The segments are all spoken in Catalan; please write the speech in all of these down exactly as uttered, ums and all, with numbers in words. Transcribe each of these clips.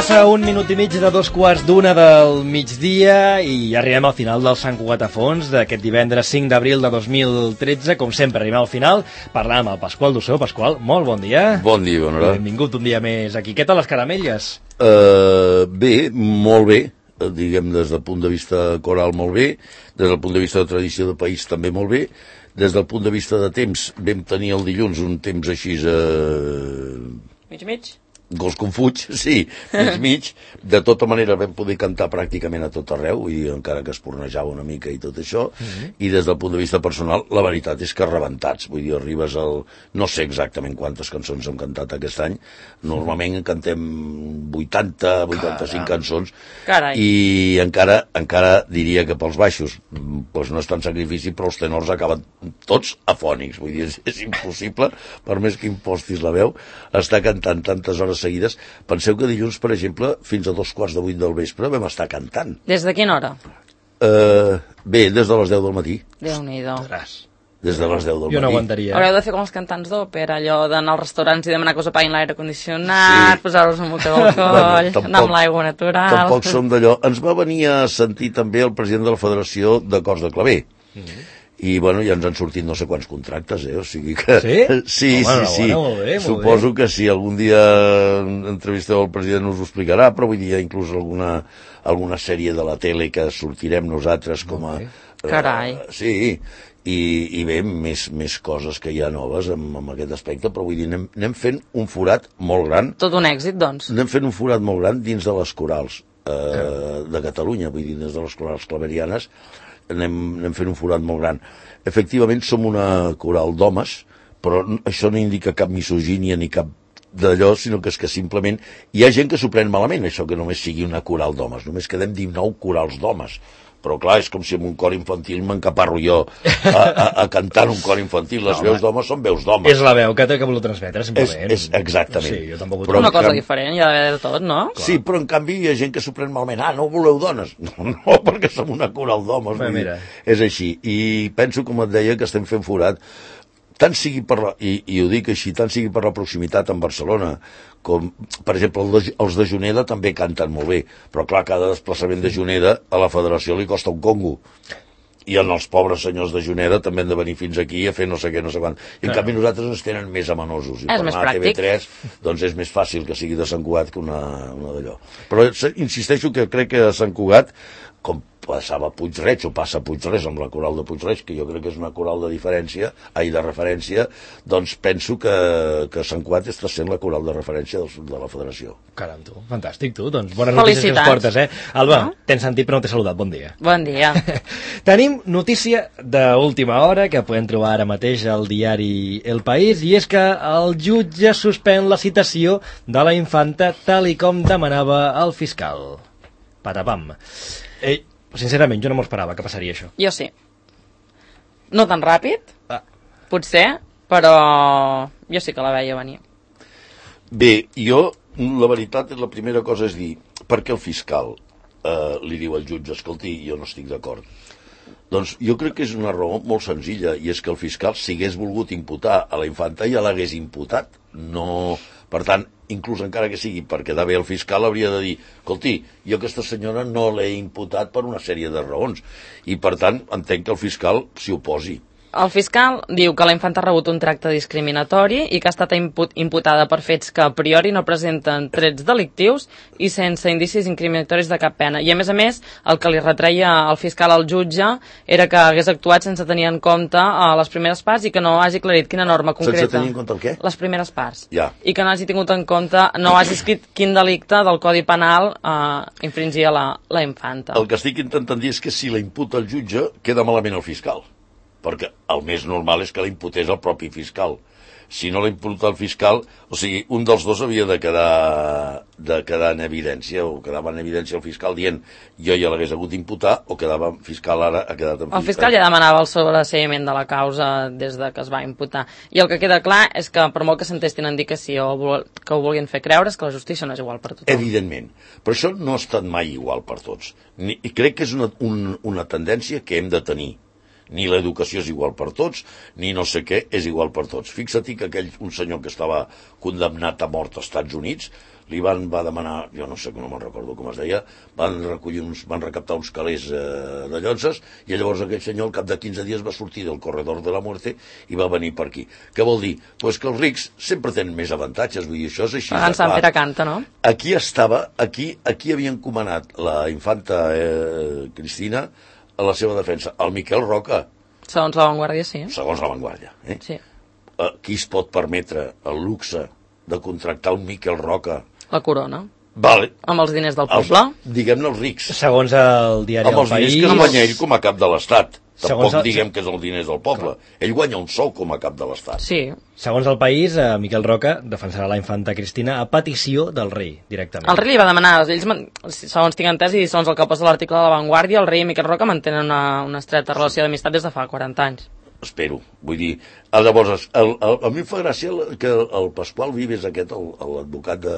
Passa un minut i mig de dos quarts d'una del migdia i arribem al final del Sant Cugat a fons d'aquest divendres cinc d'abril de dos mil tretze. Com sempre, arribem al final parlant amb el Pasqual Dussó. Pasqual, molt bon dia. Bon dia, bona hora. Benvingut un dia més aquí. Què tal les caramelles? Uh, bé, molt bé. Diguem, des del punt de vista coral, molt bé. Des del punt de vista de tradició de país, també molt bé. Des del punt de vista de temps, vam tenir el dilluns un temps així... Uh... Mig-mig? Gos com fuig, sí, mig mig. De tota manera vam poder cantar pràcticament a tot arreu, i encara que es pornejava una mica i tot això, mm-hmm. I des del punt de vista personal, la veritat és que rebentats. Vull dir, arribes al... No sé exactament quantes cançons hem cantat aquest any. Normalment en cantem vuitanta, vuitanta-cinc Caram. cançons. Carai. I encara, encara diria que pels baixos, doncs no és tant sacrifici, però els tenors acaben tots afònics. Vull dir, és, és impossible, per més que impostis la veu, estar cantant tantes hores seguides. Penseu que dilluns, per exemple, fins a dos quarts de vuit del vespre vam estar cantant. Des de quina hora? Uh, bé, des de les deu del matí. Déu-n'hi-do. Des de les deu del matí. Jo no aguantaria. Haureu de fer com els cantants d'òpera, allò d'anar als restaurants i demanar que us apaguin l'aire condicionat, sí. Posar-vos un moquet d'alcohol, bueno, anar amb l'aigua natural... Tampoc som d'allò. Ens va venir a sentir també el president de la Federació de Cors de Claver. Mm-hmm. I, bueno, ja ens han sortit no sé quants contractes, eh? O sigui que... Sí? Sí, Home, sí, sí. Bona, molt bé, molt Suposo bé. que si algun dia entrevisteu el president us ho explicarà, però vull dir, inclús alguna, alguna sèrie de la tele que sortirem nosaltres com a... Okay. Carai. Uh, sí, i, i bé, més, més coses que hi ha noves amb, amb aquest aspecte, però vull dir, anem, anem fent un forat molt gran. Tot un èxit, doncs. Anem fent un forat molt gran dins de les corals eh, de Catalunya, vull dir, dins de les corals claverianes, anem, anem fent un forat molt gran. Efectivament, som una coral d'homes, però això no indica cap misogínia ni cap d'allò, sinó que és que simplement hi ha gent que s'ho pren malament, això que només sigui una coral d'homes. Només quedem dinou corals d'homes. Però clar, és com si en un cor infantil m'encaparro jo a, a, a cantar en un cor infantil. Les no, veus d'homes són veus d'homes. És la veu que té que voler transmetre, simplement. És, és exactament. Sí, jo tampoc ho però una cosa canvi... diferent, hi ha d'haver de tot, no? Sí, però en canvi hi ha gent que s'ho pren malament. Ah, no voleu dones? No, no, perquè som una coral d'homes. Bé, mira. És així. I penso, com et deia, que estem fent forat. Tant sigui per la, i, i ho dic així, tant sigui per la proximitat amb Barcelona, com, per exemple, el de, els de Juneda també canten molt bé, però clar, cada desplaçament de Juneda a la federació li costa un congo. I els pobres senyors de Juneda també han de venir fins aquí a fer no sé què, no sé quant. I en canvi nosaltres ens tenen més amenosos. I és per més anar a T V tres, doncs és més fàcil que sigui de Sant Cugat que una, una d'allò. Però insisteixo que crec que a Sant Cugat, com passava a Puig-reig, o passa a Puig-res amb la coral de Puig-reig, que jo crec que és una coral de diferència, ai, de referència, doncs penso que, que Sant Cugat està sent la coral de referència del, de la federació. Caram, tu, fantàstic, tu, doncs bones notícies que ens portes, eh? Alba, no? T'hem sentit però no t'he saludat, bon dia. Bon dia. Tenim notícia d'última hora que podem trobar ara mateix al diari El País, i és que el jutge suspèn la citació de la infanta tal i com demanava el fiscal. Patapam. Eh, Sincerament, jo no m'ho esperava que passaria això. Jo sí. No tan ràpid, ah. potser, però jo sí que la veia venir. Bé, jo, la veritat, la primera cosa és dir, per què el fiscal eh, li diu al jutge, escolti, jo no estic d'acord? Doncs jo crec que és una raó molt senzilla, i és que el fiscal, si hagués volgut imputar a la infanta, ja l'hagués imputat. No... Per tant, inclús encara que sigui per quedar bé el fiscal, hauria de dir, escolti, jo aquesta senyora no l'he imputat per una sèrie de raons, i per tant entenc que el fiscal s'hi oposi. El fiscal diu que la infanta ha rebut un tracte discriminatori i que ha estat imput imputada per fets que a priori no presenten trets delictius i sense indicis incriminatoris de cap pena. I a més a més, el que li retreia el fiscal al jutge era que hagués actuat sense tenir en compte uh, les primeres parts i que no hagi aclarit quina norma concreta. Sense tenir en compte el què? Les primeres parts. Ja. I que no hagi tingut en compte, no hagi escrit quin delicte del Codi Penal uh, infringia la, la infanta. El que estic intentant dir és que si la imputa el jutge, queda malament el fiscal. Perquè el més normal és que la imputés el propi fiscal. Si no la imputa el fiscal, o sigui, un dels dos havia de quedar, de quedar en evidència, o quedava en evidència el fiscal dient jo ja l'hagués hagut d'imputar, o quedava fiscal ara ha quedat en El fiscal ja demanava el sobreseïment de la causa des de que es va imputar. I el que queda clar és que per molt que s'entestin en dir que sí o que ho vulguin fer creure, és que la justícia no és igual per tothom. Evidentment. Però això no ha estat mai igual per tots. Ni, i crec que és una, un, una tendència que hem de tenir. Ni l'educació és igual per tots, ni no sé què és igual per tots. Fixa-t'hi que aquell, un senyor que estava condemnat a mort als Estats Units, li van va demanar, jo no sé, no me'n recordo com es deia, van recollir uns, van recaptar uns calés eh, de llotses, i llavors aquell senyor al cap de quinze dies va sortir del corredor de la muerte i va venir per aquí. Què vol dir? Pues que els rics sempre tenen més avantatges, vull dir, això és així. En Sant Pere canta, no? Aquí estava, aquí, aquí havia encomanat la infanta eh, Cristina a la seva defensa, el Miquel Roca. Segons la Vanguardia, sí. Segons la Vanguardia, eh? Sí. Eh, qui es pot permetre el luxe de contractar un Miquel Roca? La corona. Vale. Amb els diners del poble. Els, diguem-ne els rics. Segons el diari Amb El els diners País... que es guanya ell com a cap de l'Estat. Tampoc el... diguem que és els diners del poble. Clar. Ell guanya un sou com a cap de l'Estat. Sí. Segons El País, eh, Miquel Roca defensarà la infanta Cristina a petició del rei, directament. El rei li va demanar, ells, segons tinc entès, i segons el que posa l'article de La Vanguardia, el rei i Miquel Roca mantenen una, una estreta relació d'amistat des de fa quaranta anys. Espero. Vull dir, llavors, el, el, a mi em fa gràcia que el, el Pasqual Vives aquest, l'advocat de...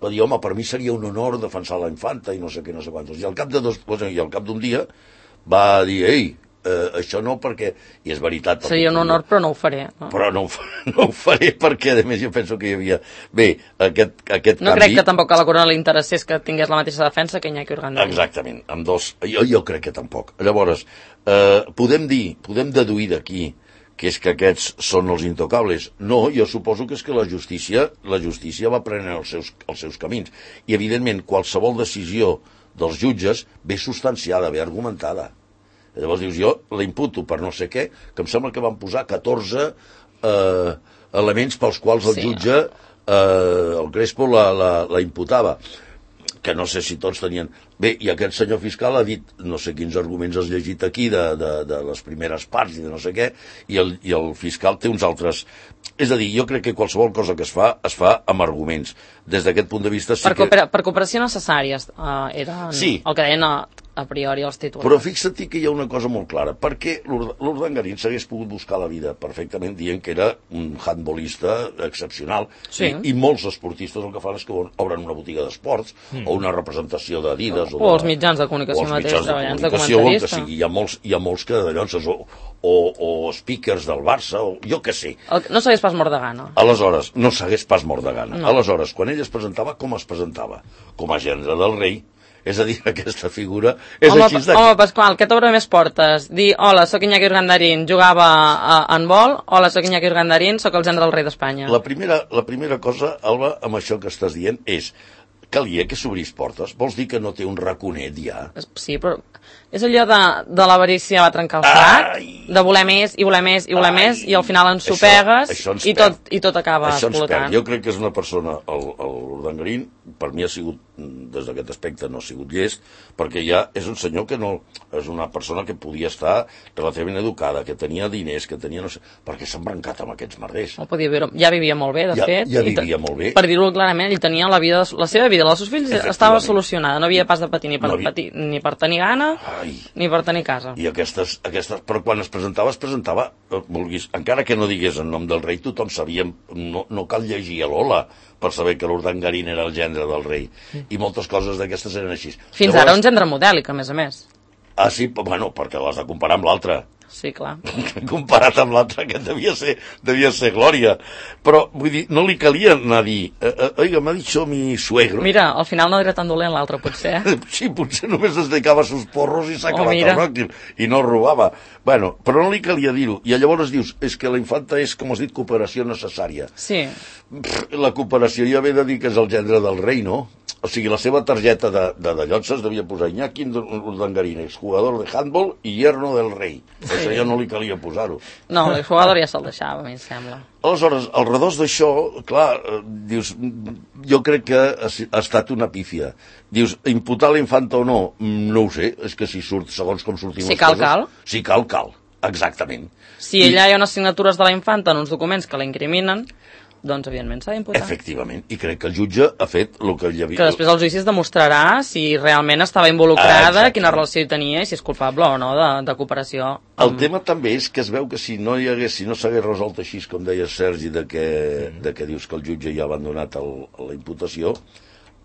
va dir, home, per mi seria un honor defensar la infanta i no sé què, no sé quantos. I al cap de dos, i al cap d'un dia va dir, ei, eh, això no perquè... I és veritat. Seria un honor, però no ho faré. No? Però no, no ho faré perquè, a més, jo penso que hi havia... Bé, aquest, aquest no canvi... crec que tampoc a la corona li interessés que tingués la mateixa defensa que Iñaki Urdangarín. Exactament, amb dos... Jo, jo crec que tampoc. Llavors, eh, podem dir, podem deduir d'aquí que és que aquests són els intocables. No, jo suposo que és que la justícia, la justícia va prenent els seus, els seus camins. I, evidentment, qualsevol decisió dels jutges ve substanciada, ve argumentada. Llavors dius, jo la imputo per no sé què, que em sembla que van posar catorze eh, elements pels quals el sí. jutge, eh, el Crespo, la, la, la imputava, que no sé si tots tenien... Bé, i aquest senyor fiscal ha dit, no sé quins arguments has llegit aquí, de, de, de les primeres parts i de no sé què, i el, i el fiscal té uns altres... És a dir, jo crec que qualsevol cosa que es fa, es fa amb arguments. Des d'aquest punt de vista sí per, que... Per, per cooperació necessàries, uh, era sí. el que deien a, a priori els titulars. Però fixa't que hi ha una cosa molt clara, perquè l'Urdangarín s'hagués pogut buscar la vida perfectament dient que era un handbolista excepcional, sí. I, i molts esportistes el que fan és que obren una botiga d'esports, mm. o una representació d'Adidas, o, o els mitjans de comunicació mateix, treballant de comentarista. Que sigui. Hi ha molts, hi ha molts que d'allò, o, o, o speakers del Barça, o jo què sé. El, no s'hagués pas mort de gana. Aleshores, no s'hagués pas mort de gana. No. Aleshores, quan ell es presentava, com es presentava? Com a gendre del rei. És a dir, aquesta figura és home, així de... Home, Pasqual, què t'obre més portes? Dir, hola, sóc Iñaki Urdangarín, jugava a, a handbol, hola, sóc Iñaki Urdangarín, sóc el gendre del rei d'Espanya. La primera, la primera cosa, Alba, amb això que estàs dient, és calia que s'obrís portes. Vols dir que no té un raconet ja? Sí, però és allò de, de l'avarícia va trencar el sac, Ai. de voler més, i voler més, i voler Ai. més, i al final ens sopegues, això, això i, tot, i tot acaba això explotant. Jo crec que és una persona, l'Urdangarín, per mi ha sigut, des d'aquest aspecte, no ha sigut llest, perquè ja és un senyor que no... És una persona que podia estar relativament educada, que tenia diners, que tenia... no sé, perquè s'ha embrancat amb aquests merders. No podia viure, ja vivia molt bé, de ja, fet. Ja vivia molt bé. Per dir-ho clarament, ell tenia la vida, la seva vida, la dels seus fills estava solucionada, no havia pas de patir ni per, no havia... patir, ni per tenir gana, Ai. ni per tenir casa. I aquestes, aquestes... Però quan es presentava, es presentava, vulguis, encara que no digués en nom del rei, tothom sabia, no, no cal llegir a l'Ola per saber que l'Urdangarín era el gendre del rei. I moltes coses d'aquestes eren així. Fins Llavors... ara un gendre modèlic, a més a més. Ah, sí? Bueno, perquè l'has de comparar amb l'altre. Sí, clar. Comparat amb l'altre, que devia ser, devia ser glòria. Però, vull dir, no li calia anar a dir, oiga, m'ha dit això mi suegro. Mira, al final no era tan dolent l'altre, potser. Sí, potser només es dedicava a sus porros i s'ha oh, acabat mira. el bròquil, i no robava. Bueno, però no li calia dir-ho. I llavors dius, és que la infanta és, com has dit, cooperació necessària. Sí. La cooperació ja ve de dir que és el gendre del rei, no? O sigui, la seva targeta de, de, de llotses devia posar Iñaki Urdangarín, exjugador de handball i yerno del rei. Sí. Això ja no li calia posar-ho. No, l'exjugador ja se'l deixava, a mi em sembla. Aleshores, al redós d'això, clar, dius, jo crec que ha, ha estat una pífia. Dius, imputar la infanta o no? No ho sé, és que si surt, segons com sortim si les cal, coses... cal. Si cal, cal. Exactament. Si allà hi ha unes signatures de la infanta en uns documents que la incriminen, doncs, evidentment, s'ha d'imputar. Efectivament, i crec que el jutge ha fet el que hi havia... Que després el judici es demostrarà si realment estava involucrada, ah, quina relació hi tenia i si és culpable o no de, de cooperació. El amb... tema també és que es veu que si no hi hagués, si no s'hagués resolt així, com deia Sergi, de que, mm. de que dius que el jutge ja ha abandonat el, la imputació,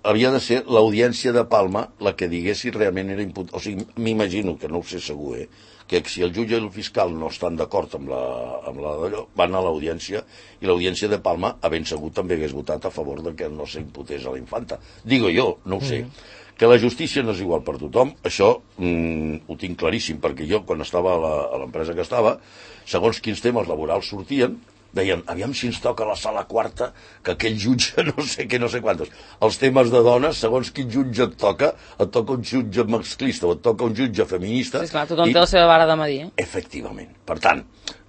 havia de ser l'audiència de Palma la que digués si realment era imputat. O sigui, m'imagino, que no ho sé segur, eh, que si el jutge i el fiscal no estan d'acord amb la, amb la d'allò, van a l'audiència, i l'audiència de Palma, a ben segur, també hagués votat a favor de que no s'imputés a la infanta. Digo jo, no ho sé. Mm. Que la justícia no és igual per tothom, això mm, ho tinc claríssim, perquè jo, quan estava a l'empresa que estava, segons quins temes laborals sortien, deien, aviam si ens toca la sala quarta, que aquell jutge no sé què, no sé quantos. Els temes de dones, segons quin jutge et toca, et toca un jutge masclista o et toca un jutge feminista. Sí, esclar, tothom i... té la seva vara de medir. Eh? Efectivament. Per tant,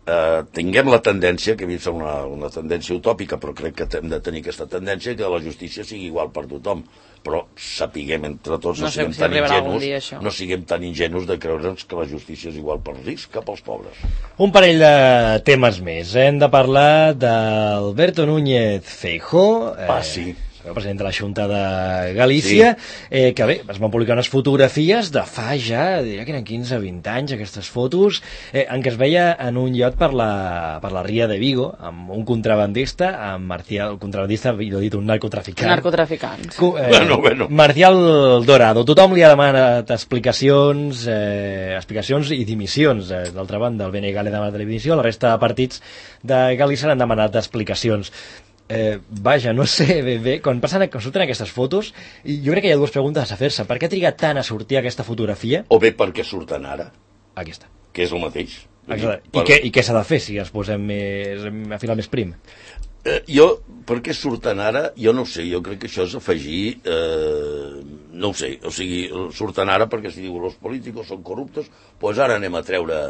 eh, tinguem la tendència, que a mi em sembla una, una tendència utòpica, però crec que hem de tenir aquesta tendència, que la justícia sigui igual per tothom. Però sapiguem entre tots, no, no siguem si tan ingenus, dia, no siguem tan ingenus de creure'ns que la justícia és igual pels rics que pels pobres. Un parell de temes més. Hem de parlar d'Alberto Núñez Feijóo. Eh... Ah, sí. El president de la Junta de Galícia, sí. eh, que bé, es van publicar unes fotografies de fa ja, diria que eren quinze o vint anys, aquestes fotos, eh, en què es veia en un iot per la, per la Ria de Vigo, amb un contrabandista, amb Marcial, el contrabandista, jo he dit un narcotraficant. Narcotraficant. Cu, eh, bueno, bueno. Marcial Dorado. Tothom li ha demanat explicacions, eh, explicacions i dimissions. Eh, D'altra banda, el B N G li ha demanat la dimissió, la resta de partits de Galícia han demanat explicacions. Eh, vaja, no sé ben bé, quan passen, quan surten aquestes fotos, jo crec que hi ha dues preguntes a fer-se. Per què ha trigat tant a sortir aquesta fotografia? O bé perquè surten ara. Aquí està. Que és el mateix. Exacte. I, per... què, i què s'ha de fer si es posem més, a filar més prim? Eh, jo, per què surten ara? Jo no ho sé, jo crec que això és afegir... Eh, no ho sé, o sigui, surten ara perquè si diu els polítics són corruptos, doncs ara anem a treure...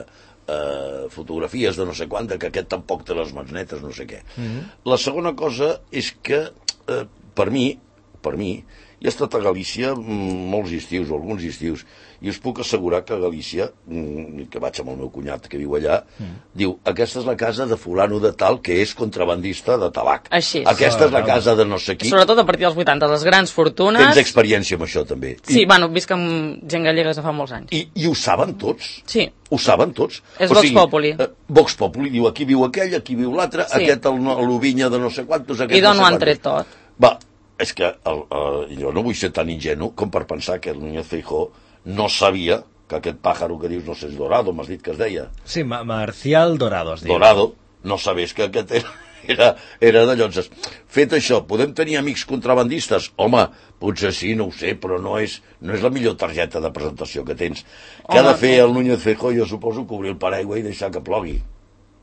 Uh, fotografies de no sé quant, que aquest tampoc té les mans netes, no sé què. Mm-hmm. La segona cosa és que, uh, per mi, per mi, he estat a Galícia molts estius, o alguns estius, i us puc assegurar que a Galícia, que vaig amb el meu cunyat que viu allà, mm. diu, aquesta és la casa de fulano de tal que és contrabandista de tabac. Així és. Aquesta és la casa de no sé qui. Sobretot a partir dels vuitanta, les grans fortunes... Tens experiència amb això, també. Sí, I... bueno, visc amb gent gallega de fa molts anys. I, i ho saben tots? Sí. Ho saben tots? És o Vox sigui, Populi. Eh, Vox Populi, diu, aquí viu aquell, aquí viu l'altre, sí. Aquest l'ovinya de no sé quantos, aquest I d'on no sé ho han tret tot? Va, és que el, el, jo no vull ser tan ingenu com per pensar que el Núñez Feijóo no sabia que aquest pàjaro que dius, no sé, és Dorado, m'has dit que es deia. Sí, Ma Marcial Dorado es diu. Dorado, no sabés que aquest era, era, era de llotges. Fet això, podem tenir amics contrabandistes? Home, potser sí, no ho sé, però no és, no és la millor targeta de presentació que tens. Què ha de fer el Núñez Feijóo? Jo suposo que obrir el paraigua i deixar que plogui.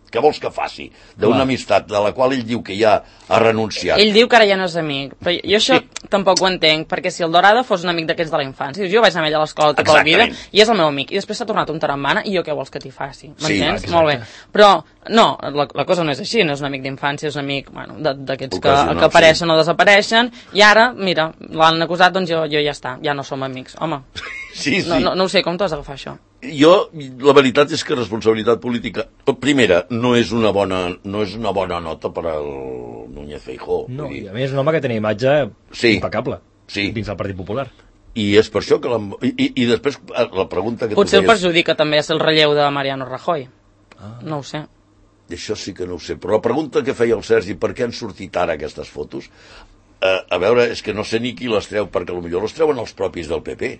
Què vols que faci? D'una amistat de la qual ell diu que ja ha renunciat. Ell diu que ara ja no és amic. Però jo això sí. tampoc ho entenc, perquè si el Dorado fos un amic d'aquests de la infància, jo vaig anar amb ell a l'escola tota Exactament. la vida, i és el meu amic, i després s'ha tornat un tarambana, i jo què vols que t'hi faci? M'entens? Sí, molt bé. Però, no, la, la cosa no és així, no és un amic d'infància, és un amic, bueno, d'aquests que, que apareixen sí. o desapareixen, i ara, mira, l'han acusat, doncs jo, jo ja està, ja no som amics. Home, sí, sí. No, no, no ho sé, com t'has d'agafar això? Jo, la veritat és que responsabilitat política, primera, no és una bona, no és una bona nota per al Núñez Feijóo. No, i a més és un home que tenia imatge sí, impecable sí. dins del Partit Popular. I és per això que la, i, i, i després la pregunta que potser tu el perjudica també és el relleu de Mariano Rajoy. Ah. No ho sé. Això sí que no ho sé, però la pregunta que feia el Sergi, per què han sortit ara aquestes fotos? Eh, a veure, és que no sé ni qui les treu, perquè potser les treuen els propis del P P,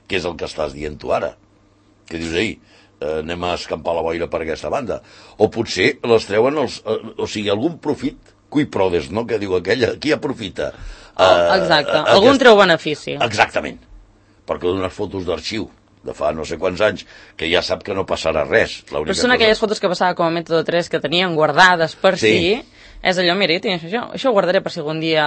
que és el que estàs dient tu ara. Que dius, ei, eh, anem a escampar la boira per aquesta banda. O potser les treuen els... Eh, o sigui, algun profit, cui prodes, no?, que diu aquella, qui aprofita? Eh, oh, exacte, eh, algun aquest... treu benefici. Exactament, perquè dones fotos d'arxiu de fa no sé quants anys, que ja sap que no passarà res. Però són cosa... aquelles fotos que passava com a mètode tres, que tenien guardades per sí, sí. És allò, mira, jo això, això ho guardaré per si algun dia...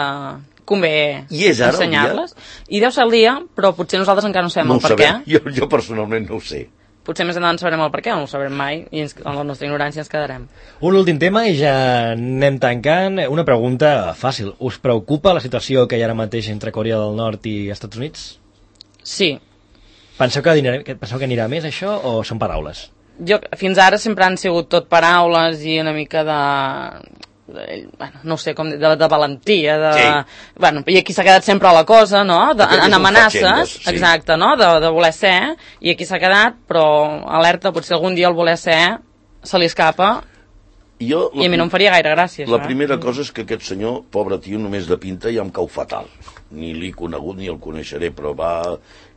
convé ensenyar-les. I deu ser el dia, però potser nosaltres encara no sabem no el per sabem. què. Jo, jo personalment no ho sé. Potser més endavant sabrem el per què, no ho sabrem mai, i ens, en la nostra ignorància ens quedarem. Un últim tema i ja anem tancant. Una pregunta fàcil. Us preocupa la situació que hi ha ara mateix entre Corea del Nord i Estats Units? Sí. Penseu que, anirà, penseu que anirà més això o són paraules? Jo, fins ara sempre han sigut tot paraules i una mica de... bueno, no sé com de, de valentia de, sí. bueno, i aquí s'ha quedat sempre la cosa, no? De, en amenaces, sí. exacte, no? De, de voler ser, i aquí s'ha quedat, però alerta, potser algun dia el voler ser se li escapa Jo, I a mi no em faria gaire gràcia, La això, primera eh? cosa és que aquest senyor, pobre tio, només de pinta ja em cau fatal. Ni l'he conegut ni el coneixeré, però va...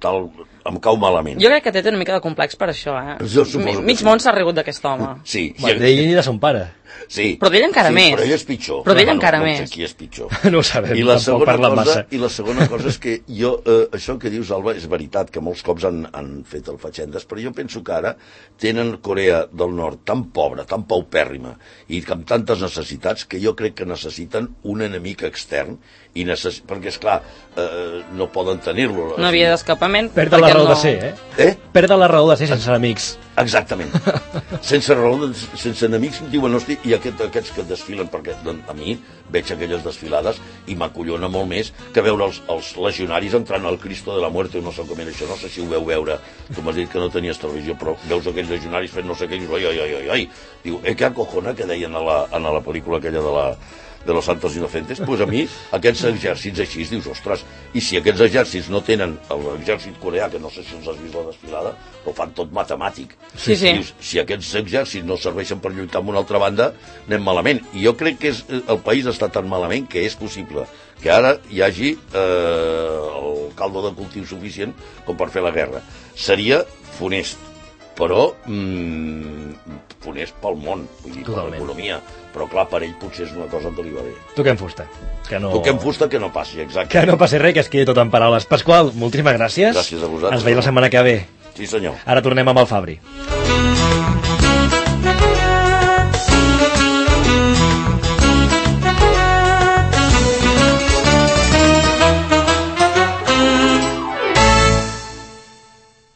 tal, em cau malament. Jo crec que té una mica de complex per això, eh? Jo suposo que Mig sí. món s'ha rigut d'aquest home. Sí. Va, d'ell i de son pare. Sí. Però d'ell encara sí, més. Però ell és pitjor. Però d'ell no, encara no, més. No sé qui és pitjor. No ho sabem, I la, tampoc segona parla cosa, massa. I la segona cosa és que jo, eh, això que dius, Alba, és veritat que molts cops han, han fet el fatxendes, però jo penso que ara tenen Corea del Nord tan pobra, tan paupèrrima i amb tantes necessitats que jo crec que necessiten un enemic extern i necess... perquè, esclar, eh, no poden tenir-lo. Una via d'escapament. Perda la perquè raó no... de ser, eh? Eh? Perda la raó de ser sense amics. Exactament. Sense raó, sense enemics, diuen, hosti, i aquest, aquests que desfilen, perquè doncs, a mi veig aquelles desfilades i m'acollona molt més que veure els, els legionaris entrant al Cristo de la Muerte, no sé com era això, no sé si ho veu veure, tu m'has dit que no tenies televisió, però veus aquells legionaris fent no sé què, i dius, oi, oi, oi, oi, oi, diu, eh, que acojona, que deien a la, a la pel·lícula aquella de la de los Santos Inocentes, doncs a mi aquests exèrcits així dius, ostres, i si aquests exèrcits no tenen l'exèrcit coreà, que no sé si els has vist la desfilada, ho fan tot matemàtic. Sí, sí. Dius, si aquests exèrcits no serveixen per lluitar amb una altra banda, anem malament. I jo crec que és, el país està tan malament que és possible que ara hi hagi eh, el caldo de cultiu suficient com per fer la guerra. Seria funest, però mm, funest pel món, vull dir, per l'economia. Però clar, per ell potser és una cosa que li va bé. Toquem fusta. Que no... Toquem fusta que no passi, exacte. Que no passi res, que es quedi tot en paraules. Pasqual, moltíssimes gràcies. Gràcies a vosaltres. Ens veiem la setmana que ve. Sí, senyor. Ara tornem amb el Fabri.